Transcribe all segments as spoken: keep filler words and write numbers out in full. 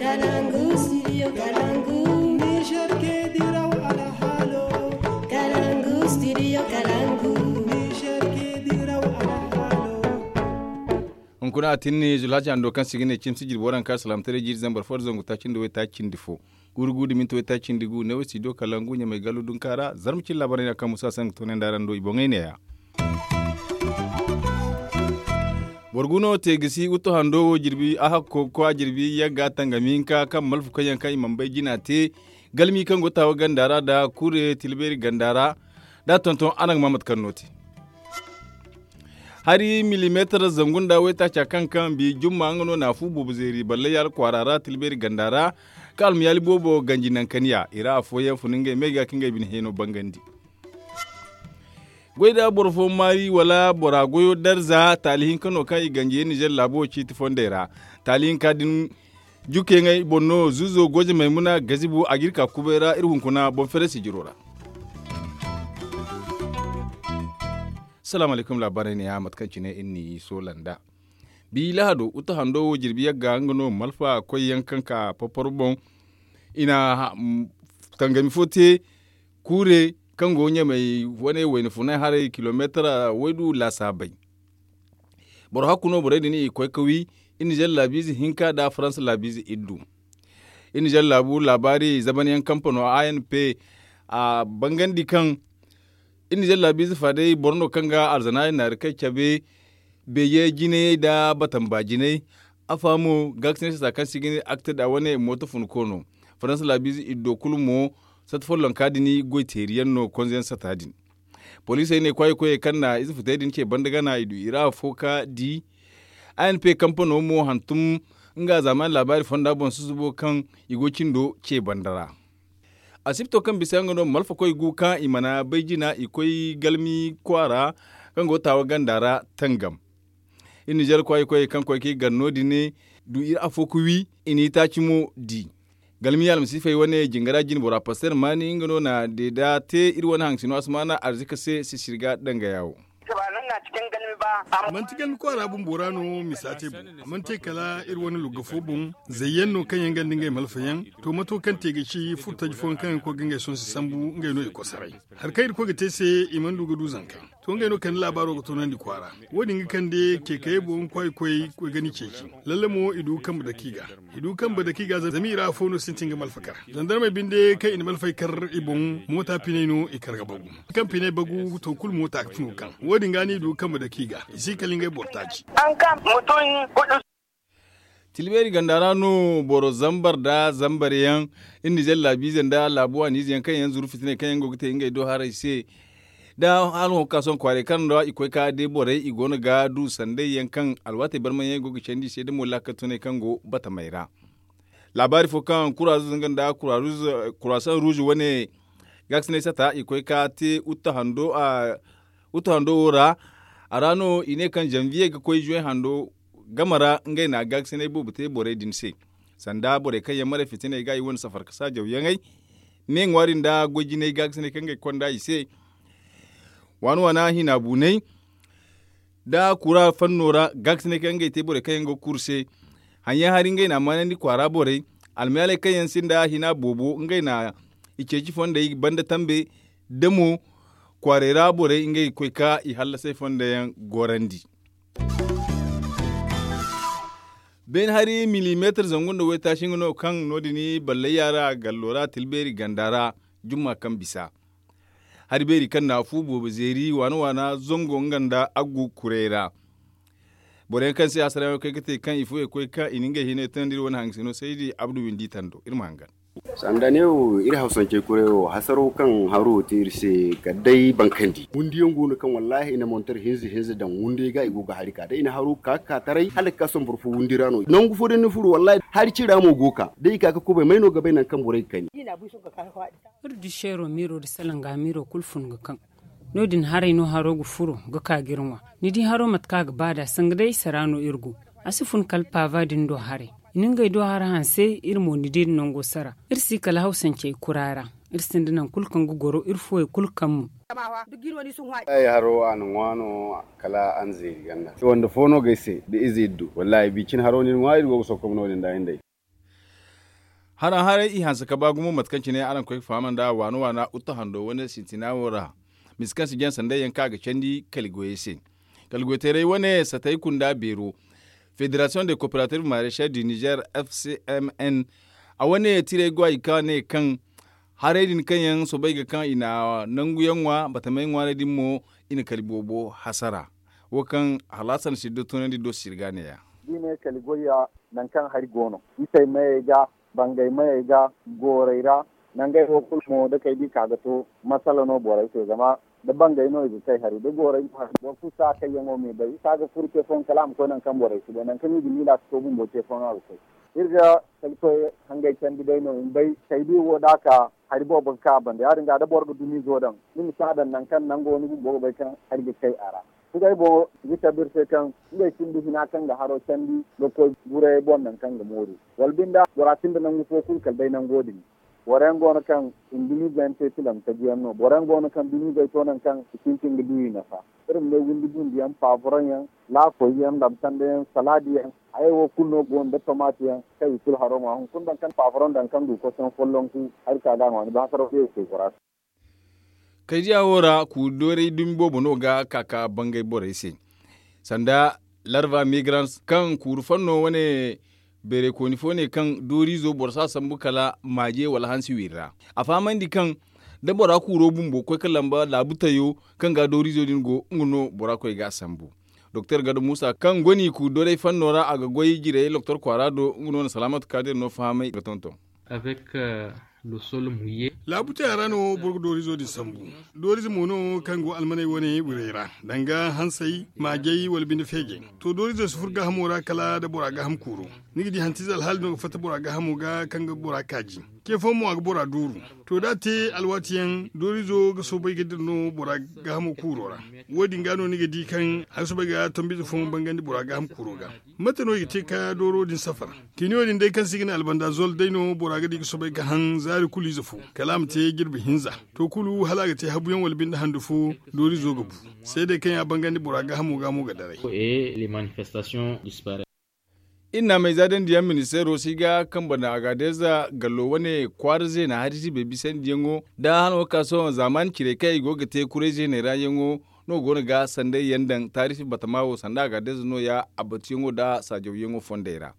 Kalangu studio kalangu. Niger ke diraw alhalo. Kalangu studio kalangu. Niger ke diraw alhalo. Hunkuna a tinni zulhaci hando kaŋ si ga ne cimsi jirbi waranka salaamtaray jiiri zambar fo da zangu taaci nda way taaci cindi fo. Guuru guuru da minti way taaci cindi gu ne way studio kalangu ɲamay gallo dunka ra zarma cin laabaray na kaŋ musa sangu toonay nda araŋ do i boŋey neeya. Boro gu no te ga si wuttu hando wo jirbi a hakko kwa jirbi yagga tangami hinka kaŋ malfa koyyaŋ kaŋ i mana bay jina te galmi kaŋ go taawa ganda ra nda kure tilbeeri ganda ra da tonton araŋ ga ma mate kaŋ no te. Hari milimeetar zangu nda waytaaca kaŋ kaŋ bi jumma nga no na fu boobo zeeri balle yaala kwaara ra tilbeeri ganda ra ka almayaali boobo ganji nankaniya i ra afooyaŋ fun ngey me ga ka ngey bine heeno bangandi. Goy da boro fo maari wala bora goyo darza taali hinka no kaŋ i ganji nizer laabo ciiti fondey ra. Taali hinka din jukeyaŋey boŋ no zuuzo goje maymuna gazibu a ga iri ka kubay ra iri hunkuna boŋ fere sijiro ra. Salaamu alaykum laabaarey ne ya mate kaŋ cine iri n'i soola nd'a. Bi lahado wuttu hando wo jirbi yagga nga no malfa koyyaŋ kaŋ ka porporo boŋ. I na tangami fo te kuure kaŋ go ɲamey wane wayna funay haray kilomeetara waydu laasaabey. Boro hakku no borey din i koy ga wi iri nizer laabiize hinka nda faransa laabiize iddu. Iri nizer laabu laabaari zabanyaŋ kampano a n p a bangandi kaŋ iri nizer laabiize fa day boro no kaŋ ga alzana naari kay cabe beeje jinayey nda batamba jinay. Afa mo gaakasinay sata kaŋ se i ga ne akte nda wane mooto fun koono faransa laabiize iddo kulu mo sata follonka din goy teeri yaŋ no konze yaŋ sata din. Poliisey ne kwaayi koyey kaŋ na ize futey din ce banda gana i du i ra afo ka di. A n p kampano mo hantum nga zaamaani laabaari fonda boŋ susubo kaŋ i go cindo ce banda ra. Asibto kaŋ bisa nga no malfa koy gu kaŋ i mana bay jina i koy galmi kwaara kaŋ go taawa ganda ra tangam. Iri nizer kwaayi koyey kaŋ koy ka i gar no- din du iri afo ga wi i n'i taaci mo di. Galmi almasiifey wane jingara jinbora paster maani nga no na deeda te iri wane haŋsino asamaana arzika se sisiri ga dangaya wo. Manti galmi kwaara bumbo ra no misa te boŋ a mana te kala iri wane lugga fo boŋ. Zayyaŋ no kaŋ yaŋ ganda ngey malfayaŋ. To mato kaŋ te ga ci furtaji fooyaŋ kaŋ yaŋ koy ga ngey sonse sambu ngey no i kosaray. Hari kaŋ iri koy ga te se i mana du ga du zanka. To ngey no kande laabaaro ga toonandi kwaara. Wo-din ga kande ceekayey boŋ kwaayi koy ga ni ceeci. Lalle mo i du ga kambe dake i ga. I du ga kambe dake i ga zama i ra afo no sintin ga malfa kar. Zandarmey binde kaŋ i na malfey kar i boŋ moota piney no i kar ga bagu. Kaŋ piney bagu to kulu moota ga tun ga kaŋ wo-din ga no i du ga kambe dake i ga i si kala ngey boro taaci. Tilbeeri ganda ra no boro zambar nda zambar yaŋ iri nizer laabiize nda laabu waaniize yaŋ kaŋ yaŋ zuru fitiney kaŋ yaŋ go ga te ngey do haray se. Da hala hõ ga ka sohõ kwaaray kaŋ ra i koy ka day borey i goono ga du sanday yaŋ kaŋ alwaatey barmay yaŋ i go ga candi i se da mo laakal tunay kaŋ go batamey ra. Laabaari fo kaŋ kuraaruuz nga nda kuraasaŋ ruuzu wane gaakasinay sata i koy ka te wuttu hando wo ra. A ra no i ne kaŋ zanviye ga koy zuwe hando game ra ngey na gaakasinay boobo te borey din se. Sanda borey kaŋ yaŋ maray fitiney ga i wane safar ka saajaw yaŋey me ŋwaari nda goy jinay gaakasinay kaŋ ga i konda i se. Waana waana hina buunay da kura fanno ra gaakasinay kaŋ ngey te borey kaŋ yaŋ go ga kuru se. Haŋyaŋ hari ngey na a maanandi kwaara borey almayaaley kaŋ yaŋ sinda hina boobo ngey na i ceeci fondey banda tambe da mo kwaaray ra borey ngey ga koy ka i hallasay fondo yaŋ gorandi. Beene hari milimeetar zangu nda waytaaci nga no kaŋ no- din ballayya ra gallo ra tilbeeri ganda ra jumma kaŋ bisa. Hari beeri kaŋ na fu boobo zeeri waana waana zango nga nda aggu kuray ra. Boro yaŋ kaŋ se hasarayaŋo kay ga te kaŋ i fo i koy kaŋ i na ngey hinay tunandi iri wane haŋ sino saydi abdu windi tando iri ma hangan. Sanda ne wo iri hawsancey kuray wo hasaro kaŋ haro wo te iri se kala day bankandi wundiyaŋ go no kaŋ wallahi i na montar hinza hinza daŋ wundiyaŋ ga i go ga hari ka day i na haro ka ka taray hala ga ka sohõ boro fo wundi ra no nangu fo da ni furo wallahi hari cira mo go ka day i ka ga kubay may no ga bay nangu kaŋ borey ga kani. Iri du seero miiro nda salanga miiro kulu fun ga kaŋ no- din haray no haro ga furo ga ka ga iri ŋwa. Ni di haro mate kaŋ a ga ba nd'a sanga day sara no iri go. A si fun kala paava din do haray i na ngey do hara hanse iri mo ni di iri nango sara. Iri si kala hawsancey kura ra. Iri sinda nangu kulu kaŋ ga goro iri fuwey kulu kaŋ mo. Ay haro a na ŋwa no kala a na zeeri ganda wanda fo no ga ay se da ize iddu wallahi bi cine haro no iri ŋwa iri go ga sokkom no- din da ay nd'ay. Haraŋ haray i hanse ka ba gumo mate kaŋ cine araŋ koy ga faham nd'a waana waana uttu hando wane sintina wo ra. Misa kaŋ si jaŋ sanday yaŋ kaŋ a ga candi kali goyey se. Kali goyteeray wane satay kunda beero, federasiyoŋ de kooperative marecher du niger, f c m n, a wane tirey go a ga ka ne kaŋ haray din kaŋ yaŋ soobay ga kaŋ i na nangu yaŋ ŋwa batamey ŋwaaray din mo, i na kali boobo hasara. Wo kaŋ halasan siddo tunandi do sirga ne ya. Da i ne kali goyya, nangu kaŋ hari go no, isey mayey ga, bangay mayey ga, goorey ra, nangey wo kulu mo da kay da i ka ga to, masala no borey se zama da bangay no i ga kay hari da goorey mo hari boro kulu si a kayyaŋo me bay i si a ga furu ce fooyaŋ kala a ma koy nangu kaŋ borey si bay nangu kaŋ i ga miila si to bumbo ce fooyaŋ a ga koy. Iri ga kali koy hangey candi day no i ma bay kay da i wo da a ka, hari boobo ga ka a banda ya- din ga da boro ga dumiizo daŋ, ni ma si a daŋ nangu kaŋ nango ni bumbo ga bay kaŋ hari ga kay a ra. Ngey boŋo i ga cabe iri se kaŋ ngey sinda hina kaŋ ga haro candi ga koy gurayey boŋ nangu kaŋ ga mooru, wala binde bora sinda nangu fo kulu kala day nango din. Boro yaŋ go no kaŋ i na dumiizo yaŋ te tilam taji yaŋ no boro yaŋ go no kaŋ dumiizey to nangu kaŋ i sintin ga du i nafa. Iri ma ne windi bundu yaŋ paaburaŋ yaŋ, laakoy yaŋ, labsanda yaŋ, salaadi yaŋ, hayey wo kulu no go no da tomaati yaŋ kaŋ i kulu haro ŋwa hunkuna daŋ kaŋ paaburaŋ daŋ kaŋ du kosoŋ follonku, hari ka ga a ŋwa ni ba hasaraw day i koy bora se. Kaydiya wo ra kuuri doorey dumi boobo no ga ka ka bangay borey se, sanda larva migrans kaŋ kuuri fanno wane beerey kooni fo ne kaŋ dooriizo boro si a sambu kala maaje wala hansi wiri ra. A fahamandi kaŋ da bora kuuro bumbo koy ka lamba laabu tayo kaŋ ga dooriizo din go nga no bora koy ga a sambu. Doktor gado muusa kaŋ go no i kuuri doorey fanno ra a ga goy jirey doktor kwaara do nga no na salaamatu kaadir no fahamay ga tonton. Laabu teera no boro ga doorizo din sambu. Doorize mo no kaŋ go almaney wane wirey ra, danga hansey, maajey wala binde feejey. To doorizo si furo gaahamo ra kala da bora gaaham kuuro. Ni ga di hantiize alhaali no ga fatta bora gaahamo ga kaŋ ga bora kaaji. Ce fooyaŋ mo a ga bora duuru. To da a te alwaati yaŋ doorizo ga soobay ga dira no bora gaahamo kuuro ra. Wo- din ga no ni ga di kaŋ a ga soobay ga tombiize fooyaŋ bangandi bora gaaham kuuro ga. Mate no i ga te ka dooro din safar? Kiiniyo din day kaŋ se i ga ne albandazol day no bora ga di ga soobay ga haŋ zaari kulu ize fo, kala a ma te jirbi hinza. To kulu hala a ga te habuyaŋ wala binde handu fo, doorizo ga bu. Seedey kaŋ ya bangandi bora gaahamo ga mo ga daray. Iri na a mayza dandi yaŋ ministeero si ga kambe nda agadeeza gallo wane kwaara zeena hari si bay bisandiyaŋo, da hano ga ka sohõ zaamaani cirey kaŋ i go ga te kuray zeeney ra yaŋo no go no ga sanday yaŋ daŋ taarifi batama wo sanda agadeeza nooya a batuyaŋo nda saajawyaŋo fondey ra.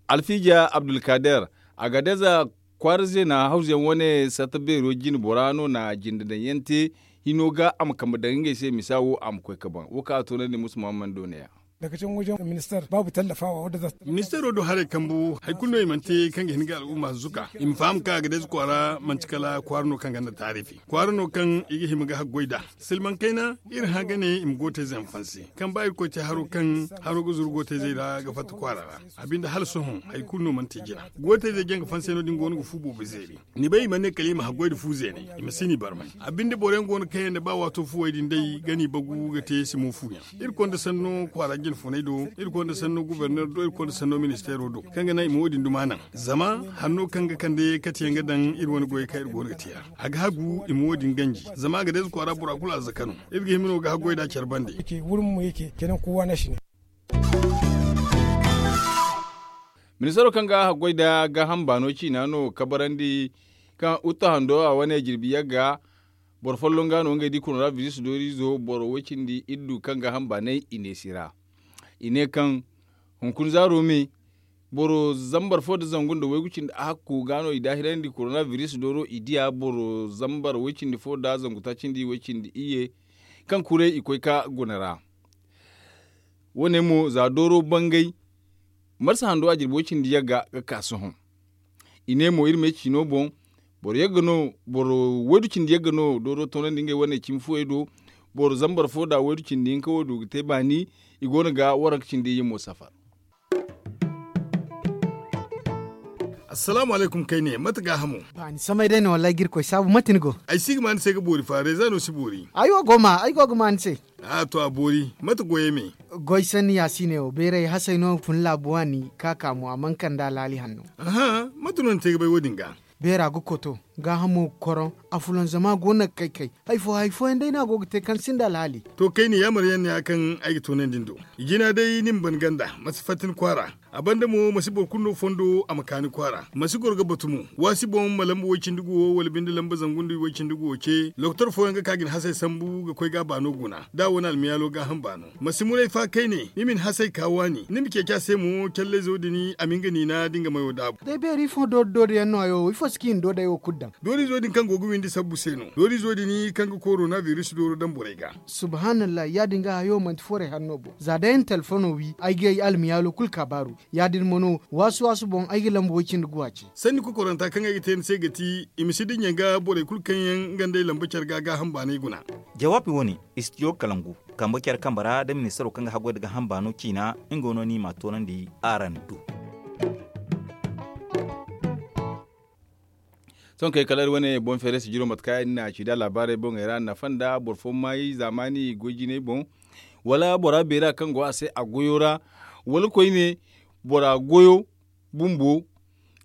Alfiija abdulkader, agadeeza kwaara zeena hawzuyaŋ wane satta beero jine bora no na jinde daŋ yaŋ te. Hino ga a ma kambe daŋ ngey se misa wo a ma koy ka baŋ wo kaŋ a toonandi musu mahamman do neeya. Ministeero do haray kambu hari kulu no i mana te kaŋ ga hin ga al'umma zuka i ma faham kaŋ agadeeza kwaara manti kala kwaara no kaŋ ganda taarifi kwaara no kaŋ i ga hima ga haggoy nd'a. Silmaŋ kayna iri hã ga ne i ma gootayze yaŋ fanse kaŋ ba irkoy te haro kaŋ haro ga zuru gootayzey ra ga fatta kwaara ra. A binde hala sohõ hari kulu no mana te jina. Gootayzey jaŋ ga fanse no- din go no ga fu boobo zeeri. Ni bay i mana ne kala i ma haggoy nda fu zeeney, i ma si ni barmay. A binde boro yaŋ go no kaŋ yaŋ da ba waato fuwey din day ga ni bagu ga te simo fuyaŋ. Iri konda sanno kwaara jinfuney do, iri konda sanno guberner do iri konda sanno ministeero do kaŋ ga naŋ i ma wo- din duma naŋ. Zama hanno kaŋ ga kande kate yaŋ ga daŋ iri wane goyey kaŋ iri go no ga te yaŋ, a ga hagu i ma wo- din ganji. Zama a ga deeza kwaara bora kulu arzaka no. Iri ga hima no ga haggoy nd'a care bande. Ministaro kaŋ ga haggoy nda gaaham baano ciina no kabarandi kaŋ utta hando a wane jirbi yagga. Boro folloŋ ga no ngey di korona biris dooriizo boro woy cindi iddu kaŋ gaaham baanay i neesi ra. I ne kaŋ hunkuna zaaro me boro zambar fo nda zangu nda waygu cindi ahakku ga no i daahirandi korona biris dooro i diya boro zambar woy cindi fo nda zangu taaci nda i woy cindi iyye. Kaŋ kuray i koy ka guna ra. Wo- ne mo za dooro bangay marsa hando a jirbi woy cindi yagga ga ka sohõ. I ne mo iri me ciino boŋ boro yagga no boro waydu cindi yagga no dooro toonandi ngey wane cimi fuwey do. Boro zambar fo nda waydu cindi hinka wo du ga te baani. I go no ga waranka cindi iyye mo safar. Assalaamu alaykum kayne mate gaahamo? Baani samay day no wallaahi ga irkoy saabu mate ni go? Ay si ga ma ni se ga boori fa reeza no si boori. Ay wo go ma ay go ga ma ni se. A to a boori mate goyey me? Goy sanni ya si ne wo beeray hasay no fun laabu waani ka ka mo a mana kand'a laali hanno. Aha mate no ni te ga bay wo- din ga? Beera ga koto. Gaahamo ga koroŋ. Afulanzama go no ga kay kay. Hari fo hari fooyaŋ day no a go ga te kaŋ sinda alhaali. To kayna yaamar yaŋ ne ya kaŋ ay ga toonandi ni do. Jina day ni ma ban ganda, ma si fatta ni kwaara. A banda mo ma si boro kulu no fondo a ma ka ni kwaara, ma si goro ga batu mo. Waasi boŋ ma lamba way-cindi guwo wala binde lamba zangu nda way-cindi guwo ce. Lokotor fooyaŋ ga ka ga ni hasey sambu ga koy ga a baano guna da a wane almiyaalo gaaham baano. Ma si muray fa kayne ni ma ni hasey ka waani ni ma ceeci a se mo callayzo din a ma nga niina da nga mayo daabu. Day beeri ifo doori doori yaŋ no hayo wo ifo si ka i na doodey wo kulu daŋ. Doorizo din kaŋ go ga windi sabbu se no doorizo din kaŋ ga korona biris dooro daŋ borey ga. Subhaanallahi ya- din ga hayo manti forey hanno bo za day ay na telefono wi ay ga ay almiyaalo kulu ka baaru. Ya- din mo no waasu waasu boŋ ay ga lamba way-cindi guwa ce. Sanni kokoranta kaŋ ay ga te ni se ga ti i ma si dinya ga borey kulu kaŋ yaŋ nga nd'ey lamba care ga gaaham baanay guna. Jawaabi wo- ne istijo kalangu kambe care kambe ra da ministaro kaŋ ga haggoy nda gaaham baano ciina nga no no i m'a toonandi araŋ do. Sohõ kay kala iri wane boŋ feere sijiro mate kaŋ yaadin no a ci da laabaarey boŋey ra nafa nda boro fo maayi zaamaani goy jinay boŋ, wala bora beera kaŋ go a se a goyo ra, wala koyne bora goyo bumbo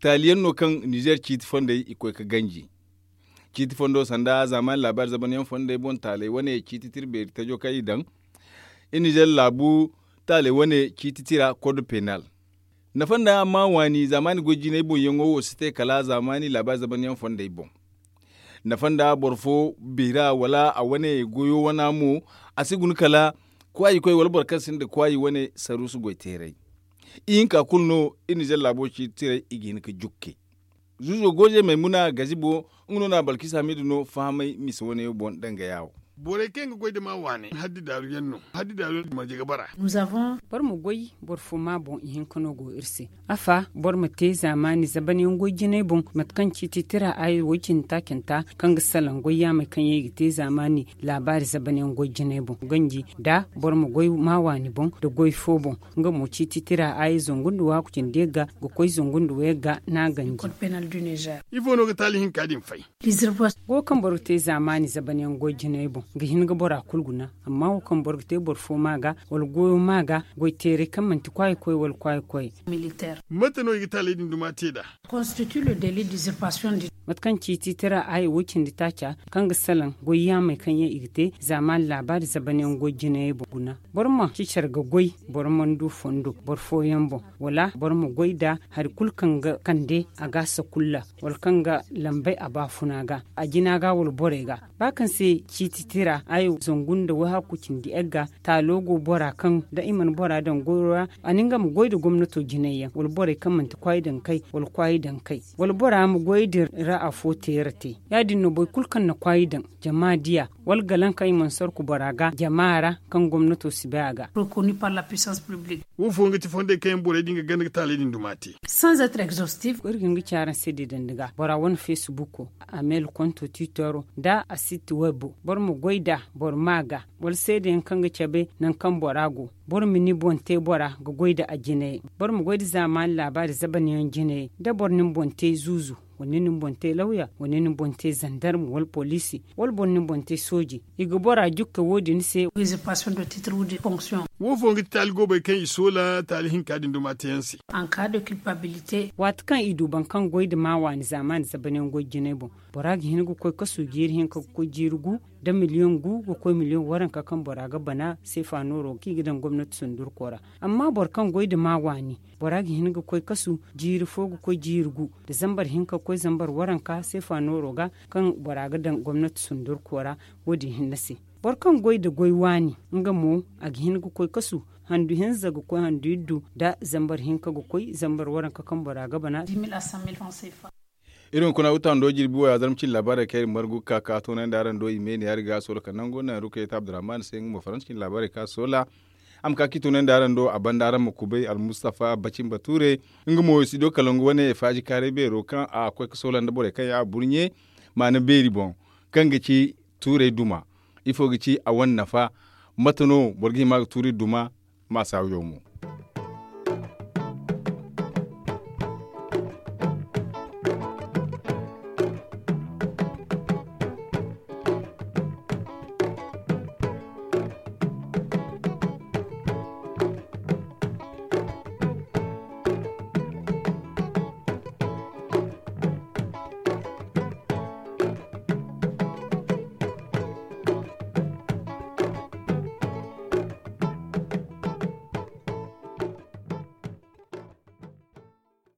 taali yaŋ no kaŋ nizer ciiti fondey i koy ga ganji. Ciiti fondo sanda zaamaani laabaari zabanyaŋ fondey boŋ taaley wane ciiti tira beeri tajo kaŋ i daŋ. Iri nizer laabu taaley wane ciiti tira kod penal. Nafa nda ma waani zaamaani goy jinay boŋ yaŋo wo si te kala zaamaani laabaari zabanyaŋ fondey boŋ. Nafa nda boro fo beera wala a wane goyo wana mo a si guna kala kwaayi koy wala boro kaŋ sinda kwaayi wane saruusu goy teeray. Ihinka kulu no iri nizer laabo ciiti tiray i ga hin ga jukke. Zuuzo gooje maymuna gazibo nga no na balkis hamidu no fahamay mise wane boŋ danga yaawo. Borey kaŋ yaŋ ga goy nda maa waaney haddi daaru yaŋ no. Haddi daaru yaŋ marje ga bara. Boro ma goy boro fo maa boŋ ihinka no go iri se. Afa boro ma te zaamaani zaban yaŋ goy jinay boŋ mate kaŋ ciiti tira aayi woy cindi taacanta kaŋ ga salaŋ goy yaamey kaŋ yaŋ i ga te zaamaani laabaari zaban yaŋ goy jinay boŋ ganji nda boro ma goy maa waani boŋ nda goy fo boŋ. Nga mo ciiti tira aayi zangu nda waaku cindi yagga ga koy zangu nda wayagga no a ganji. Ifo no ga taali hinka din fay? Go kaŋ boro ga te zaamaani zaban yaŋ goy jinay boŋ ga hin ga bora kulu guna. Amma wo kaŋ boro ga te boro fo maa ga wala goyo maa ga goy teeray kaŋ manti kwaayi koy wala kwaayi koy. Mate no i ga taaley din duma te nd'a? Mate kaŋ ciiti tira aayi woy cindi taaca kaŋ ga salaŋ goy yaamey kaŋ yaŋ i ga te zaamaani laabaari zaban yaŋ goy jinayey boŋ guna. Boro ma ci care ga goy boro mana du fondo boro fooyaŋ boŋ wala boro ma goy nda hari kulu kaŋ ga kande a ga sakulla wala kaŋ ga lambay a baafuna ga a jina ga wala borey ga. Ba kaŋ se ciiti tira aayi zangu nda wahakku cindi yagga taalo go bora kaŋ da i mana bora daŋ goyo ra a na nga ma goy nda gomnato jinay yaŋ wala borey kaŋ manti kwaayi daŋ kay wala kwaayi daŋ kay wala bora ma goy din ra afo teera te. Ya- din no boro kulu kaŋ na kwaayi daŋ jama diya wala galaŋ kaŋ i mana sorku bora ga jama ra kaŋ gomnato si bay a ga. Wo fooyaŋ ga ti fondey kaŋ yaŋ borey din ga ganda ga taaley din duma te. Iri ga hin ga ci araŋ se deedandi ga bora wane feesibuko, amel konto tiitoro nda a sitti waybo boro ma goy nd'a boro ma a ga wala seedeyaŋ kaŋ ga cabe nangu kaŋ bora go. Boro ma ni boŋ te bora ga goy nda a jinayey. Boro ma goy nda zaamaani laabaari zaban yaŋ jinayey da boro na ni boŋ te zuuzu wala ni na ni boŋ te lawya wala ni na ni boŋ te zandarma wala poliisi wala boro na ni boŋ te sooji i ga bora jukke wo- din se. Wo fooyaŋ ga ti taali goobey kaŋ i soola taali hinka din duma teeyaŋ se. Waati kaŋ i du boro kaŋ goy nda maa waani zaamaani zaban yaŋ goy jinay boŋ bora ga hin ga koy kasu jiiri hinka ga koy jiiri gu nda miliyoŋ gu ga koy miliyoŋ waranka kaŋ bora ga bana seefa nooro kaŋ i ga daŋ gomnati sundurko ra. Amma boro kaŋ goy nda maa waani bora ga hin ga koy kasu jiiri fo ga koy jiiri gu nda zambar hinka ga koy zambar waranka seefa nooro ga kaŋ bora ga daŋ gomnati sundurko ra. Wo- din hinne se boro kaŋ goy nda goy waani nga mo a ga hin ga koy kasu handu hinza ga koy handu iddu nda zambar hinka ga koy zambar waranka kaŋ bora ga bana. Iri hunkuna wutando jirbi wo ya zarma cine laabaarey kaŋ iri margu ga ka ka toonandi araŋ do i me ne ya- din ga a soola kala nango naŋ rukayta abdurrahman se nga mo faransa cine laabaarey kaŋ a soola. A ma ka ka i toonandi araŋ do a banda araŋ ma kubay almustafa bacin bature nga mo studio kalangu wane faaji kaaray beero kaŋ a koy ga soola nda borey kaŋ yaŋ a burɲe maana beeri boŋ kaŋ ga ci tuurey duma. Ifo ga ci a wane nafa? Mate no boro ga hima ga tuuri duma? Ma saawiyaŋ mo.